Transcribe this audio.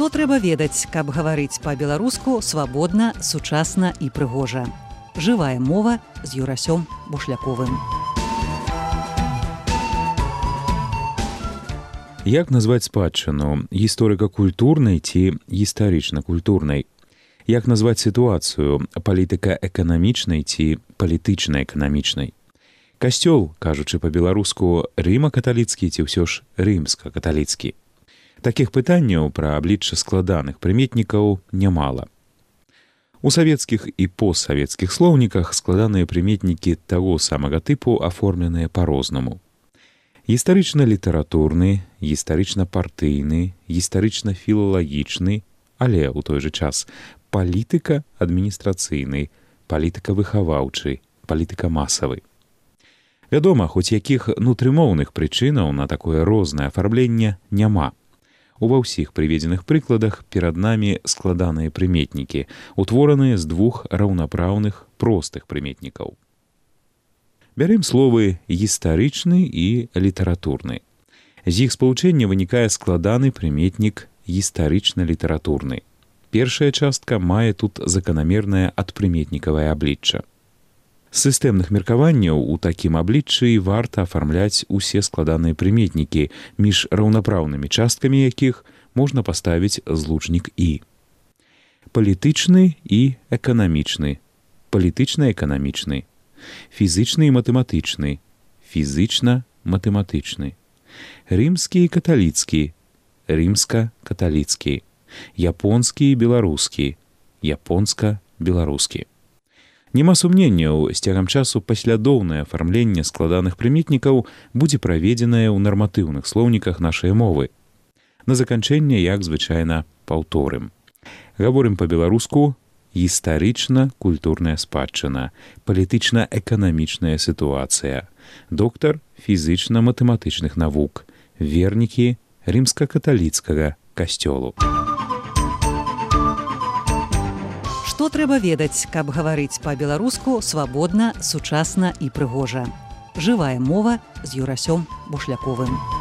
Што трэба ведаць, каб гаварыць па-беларуску свабодна, сучасна і прыгожа. Жывая мова з Юрасём Бушляковым. Як назваць спадчыну гісторыка-культурнай ці гістарычна-культурнай? Як назваць сітуацыю палітыка-эканамічнай ці палітычна-эканамічнай? Касцёл, кажучы па-беларуску, рыма-каталіцкі ці ўсё ж рымска-каталіцкі? Такіх пытанняў пра аблічча складаных прыметнікаў нямала. У савецкіх і постсавецкіх слоўніках складаныя прыметнікі таго самага тыпу аформленыя па-рознаму. Гістарычна-літаратурны, гістарычна-партыйны, гістарычна-філалагічны, але ў той жа час палітыка-адміністрацыйны, палітыка-выхаваўчы, палітыка-масавы. Вядома, хоць якіх нутрымоўных прычынаў на такое рознае афармленне няма. Ува ўсіх прыведзеных прыкладах перад намі складаныя прыметнікі, утвораныя з двух раўнапраўных простых прыметнікаў. Бярем словы гістарычны і літаратурны. З іх спалучэння вынікае складаны прыметнік гістарычна-літаратурны. Першая частка мае тут заканамернае адпрыметнікавае аблічча. З сістэмных меркаванняў у такім абліччы варта афармляць усе складаныя прыметнікі, між раўнапраўнымі часткамі якіх можна паставіць злучнік «і». Палітычны і эканамічны, палітычна-эканамічны, фізычны і матэматычны, фізычна-матэматычны, рымскі і каталіцкі, рымска-каталіцкі, японскі і беларускі, японска-беларускі. Няма сумненняў, з цягам часу паслядоўнае афармленне складаных прыметнікаў будзе праведзенае ў нарматыўных слоўніках нашай мовы. На заканчэнне, як звычайна, паўторым. Гаворым па-беларуску гістарычна-культурная спадчына, палітычна-эканамічная сітуацыя, доктар фізычна-матэматычных навук, вернікі рымска-каталіцкага касцёлу. Што трэба ведаць, каб гаварыць па-беларуску свабодна, сучасна і прыгожа. Жывая мова з Юрасём Бушляковым.